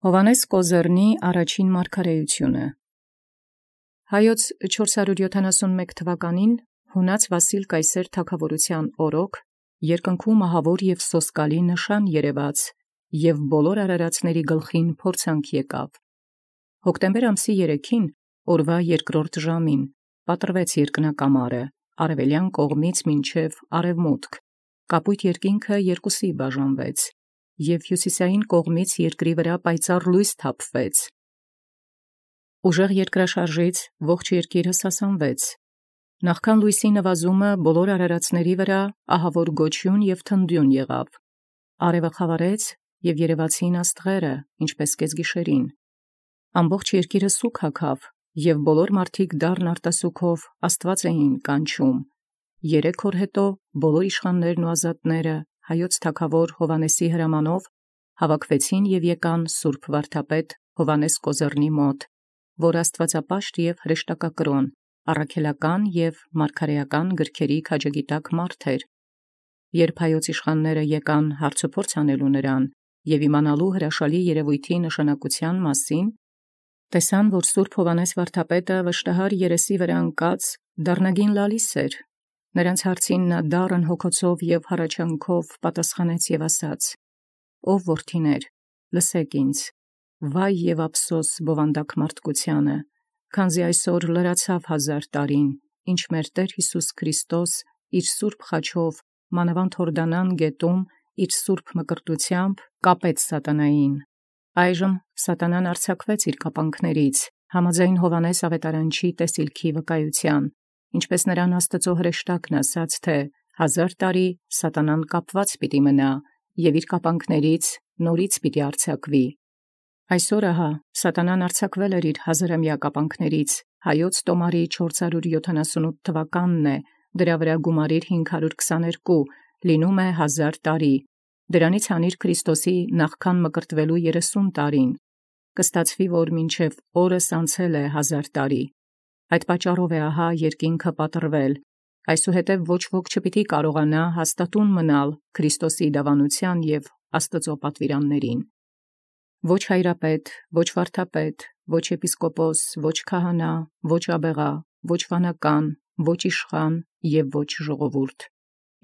Հովհաննես Կոզեռնի առաջին մարգարեութիւնը։ Հայոց 471 թվականին Յունաց Վասիլ Կայսեր թագաւորութեան օրոք երկնքու մահաւոր և սոսկալի նշան երևաց, և բոլոր արարածների գլխին փորձանք եկավ։ Հոկտեմբեր ամսի 3-ին, օրվա երկրորդ ժամին, պատռվեց երկնակամարը, արևելյան կողմից մինչև արևմուտք, կապույտ երկինքը երկուսի բաժանվեց, և հյուսիսային կողմից երկրի վրա պայծառ լույս թափվեց։ Ուժեղ երկրաշարժից ողջ երկիրը սասանվեց։ Նախքան լույսի նվազումը բոլոր արարածների վրա ահավոր գոչյուն և թնդյուն եղավ։ Արևը խավարեց, և երևացին աստղերը, ինչպես կեսգիշերին։ Ամբողջ երկիրը սուգ հագավ, և բոլոր մարդիկ դառն արտասուքով Աստուած էին կանչում։ 3 օր հետո բոլոր իշխաններն ու ազատները Հայոց թագաւոր Հովհաննեսի հրամանով հավաքվեցին և եկան սուրբ վարդապետ Հովհաննես Կոզեռնի մոտ, որ աստուածապաշտ և հրեշտակակրօն, առաքելական և մարգարեական գրքերի քաջագիտակ մարդ էր։ Երբ Հայոց իշխանները եկան հարցուփորձ անելու նրան և իմանալու հրաշալի երևոյթի նշանակութեան մասին, տեսան, որ սուրբ Հովհաննես վարդապետը վշտահար երեսի վրա ընկած դառնագին լալիս էր։ Նրանց հարցին նա դառն հոգոցով և հառաչանքով պատասխանեց և ասաց. «Ով որդիներ, լսեք ինձ. վայ և ափսոս բովանդակ մարդկությանը, քանզի այսօր լրացավ 1000 տարին, ինչ մեր Տէր Յիսուս Քրիստոս իր սուրբ խաչով մանավանդ Յորդանան գետում իր սուրբ մկրտութեամբ կապեց սատանային։ Այժմ սատանան արձակվեց իր կապանքներից, համաձայն Հովհաննես աւետարանչի տեսիլքի վկայութեան, ինչպես նրան Աստուծոյ հրեշտակն ասաց, թէ 1000 տարի սատանան կապված պիտի մնա, և իր կապանքներից նորից պիտի արձակվի։ Այսօր ահա սատանան արձակվել էր իր 1000-ամյա կապանքներից, Հայոց տոմարի 478 թվականն է, դրա վրա գումարիր 522, լինում է 1000 տարի, դրանից հանիր Քրիստոսի նախքան մկրտվելու 30 տարին, կստացվի, որ մինչև օրս անցել է 1000 տարի։ Այդ պատճառով է ահա երկինքը պատռվել, այսուհետև ոչ ոք չպիտի կարողանա հաստատուն մնալ Քրիստոսի դավանութեան և Աստուծոյ պատվիրաններին։ Ոչ հայրապետ, ոչ վարդապետ, ոչ եպիսկոպոս, ոչ քահանա, ոչ աբեղա, ոչ վանական, ոչ իշխան և ոչ ժողովուրդ։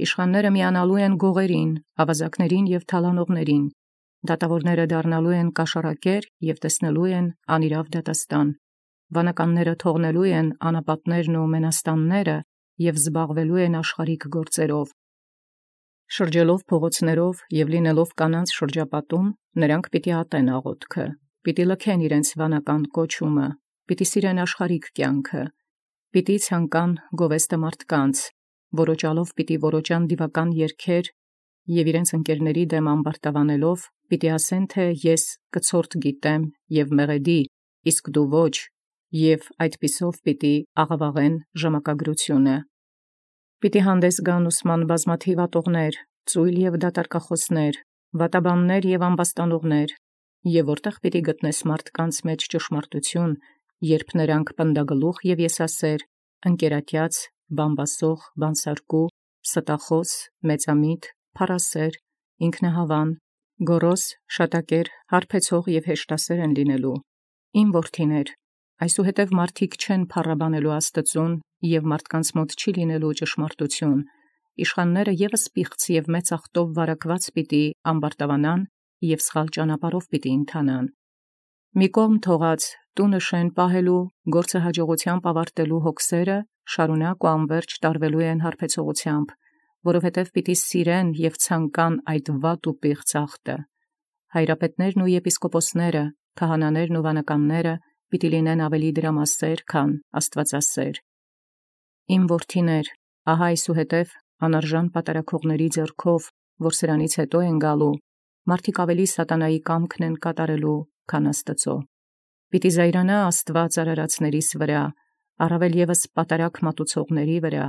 Իշխանները միանալու են գողերին, ավազակներին և թալանողներին, դատավորները դառնալու են կաշառակեր և տեսնելու են անիրաւ դատաստան, վանականները թողնելու են անապատներն ու մենաստանները և զբաղվելու են աշխարհիկ գործերով։ Շրջելով փողոցներով և լինելով կանանց շրջապատում, նրանք պիտի ատեն աղոթքը, պիտի լքեն իրենց վանական կոչումը, պիտի սիրեն աշխարհիկ կյանքը, պիտի ցանկան գովեստը մարդկանց, որոճալով պիտի որոճան դիվական երգեր և իրենց ընկերների դեմ ամբարտավանելով պիտի ասեն, թէ ես կցորդ գիտեմ և մեղեդի, իսկ դու ոչ, և այդպիսով պիտի աղաւաղեն ժամակագրությունը։ Պիտի հանդես գան ուսման բազմաթիւ ատողներ, ծույլ և դատարկախոսներ, վատաբաններ և ամբաստանողներ, և որտեղ պիտի գտնես մարդկանց մեջ ճշմարտություն, երբ նրանք պնդագլուխ և եսասեր, ընկերատյաց, բամբասող, բանսարկու, ստախոս, մեծամիտ, փառասեր, ինքնահավան, գոռոզ, շատակեր, հարբեցող և հեշտասեր են լինելու։ Իմ որդիներ, այսուհետև մարդիկ չեն փառաբանելու Աստծուն, և մարդկանց մոտ չի լինելու ճշմարտություն, իշխանները ևս պիղծ և մեծ ախտով վարակված պիտի ամբարտավանան և սխալ ճանապարհով պիտի ընթանան։ Մի կողմ թողած տունը շեն պահելու, գործը հաջողութեամբ ավարտելու հոգսերը շարունակ ու անվերջ տարվելու են հարբեցողութեամբ, որովհետև պիտի սիրեն և ցանկան այդ վատ ու պիղծ ախտը։ Հայրապետներն ու եպիսկոպոսները, քահանաներն ու վանականները պիտի լինեն ավելի դրամասեր, քան աստվածասեր։ Իմ որդիներ, ահա այսուհետև անարժան պատարագողների ձեռքով, որ սրանից հետո են գալու, մարդիկ ավելի սատանայի կամքն են կատարելու, քան Աստծոյ։ Պիտի զայրանա Աստուած արարածներիս վրա, առավել ևս պատարագ մատուցողների վրա,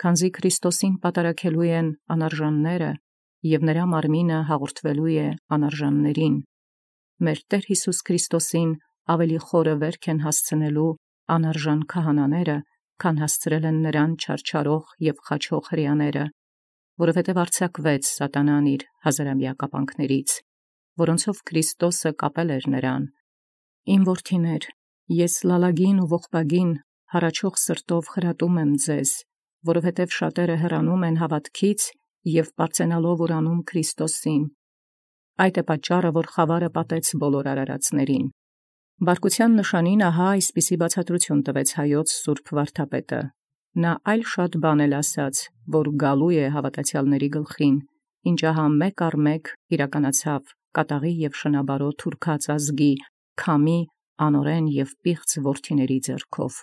քանզի Քրիստոսին պատարագելու են անարժանները, և նրա մարմինը հաղորդվելու է անարժաններին։ Մեր Տեր Յիսուս Քրիստոսին ավելի խորը վերք են հասցնելու անարժան քահանաները, քան հասցրել են նրան չարչարող և խաչող հրեաները, որովհետև արձակվեց սատանան իր 1000-ամյա կապանքներից։ որոնցով Քրիստոսը կապել էր նրան. «Իմ որդիներ, ես լալագին ու ողբագին հառաչող սրտով խրատում եմ ձեզ, որովհետև շատերը հեռանում են հավատքից և պարծենալով ուրանում Քրիստոսին։ Այդ է պատճառը, որ խավարը պատեց բոլոր արարածներին»։ Բարկության նշանին ահա այսպիսի բացատրություն տվեց հայոց սուրբ վարդապետը. նա այլ շատ բան էլ ասաց, որ գալու է հավատացյալների գլխին, ինչ ահա մեկ առ մեկ իրականացավ կատաղի և շնաբարոտ թուրքած ազգի, քամի, անօրեն և պիղծ որդիների ձեռքով։